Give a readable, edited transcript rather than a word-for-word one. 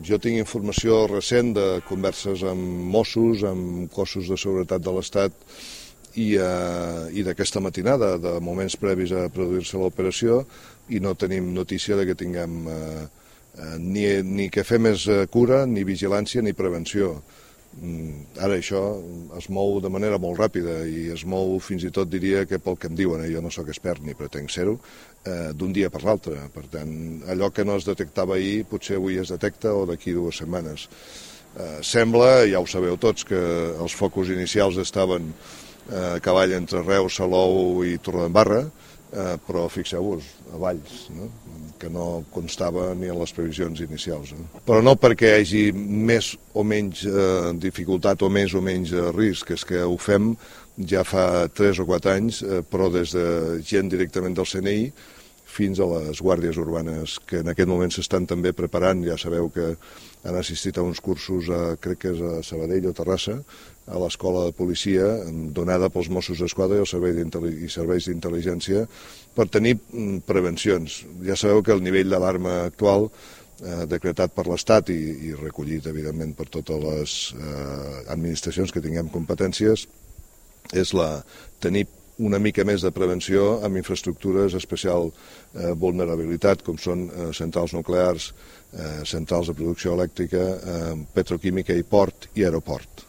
Jo tinc informació recent de converses amb Mossos, amb cossos de seguretat de l'Estat i d'aquesta matinada, de moments previs a produir-se l'operació, i no tenim notícia de que tinguem ni que fer més cura, ni vigilància, ni prevenció. Ara això es mou de manera molt ràpida i es mou fins i tot diria que pel que em diuen, jo no sóc expert ni pretenc ser-ho, d'un dia per l'altre. Per tant, allò que no es detectava ahir potser avui es detecta o d'aquí 2 setmanes. Sembla, ja ho sabeu tots, que els focus inicials estaven a cavall entre Reus, Salou i Torredembarra, però fixeu-vos, a Valls, no? Que no constava ni en les previsions inicials. Però no perquè hi hagi més o menys dificultat o més o menys risc, és que ho fem ja fa 3 o 4 anys, però des de gent directament del CNI fins a les guàrdies urbanes, que en aquest moment s'estan també preparant. Ja sabeu que han assistit a uns cursos, crec que és a Sabadell o Terrassa, a l'escola de policia, donada pels Mossos d'Esquadra i serveis d'intel·ligència, per tenir prevencions. Ja sabeu que el nivell d'alarma actual, decretat per l'Estat i recollit, evidentment, per totes les administracions que tinguem competències, és tenir una mica més de prevenció amb infraestructures d'especial vulnerabilitat, com són centrals nuclears, centrals de producció elèctrica, petroquímica i port i aeroport.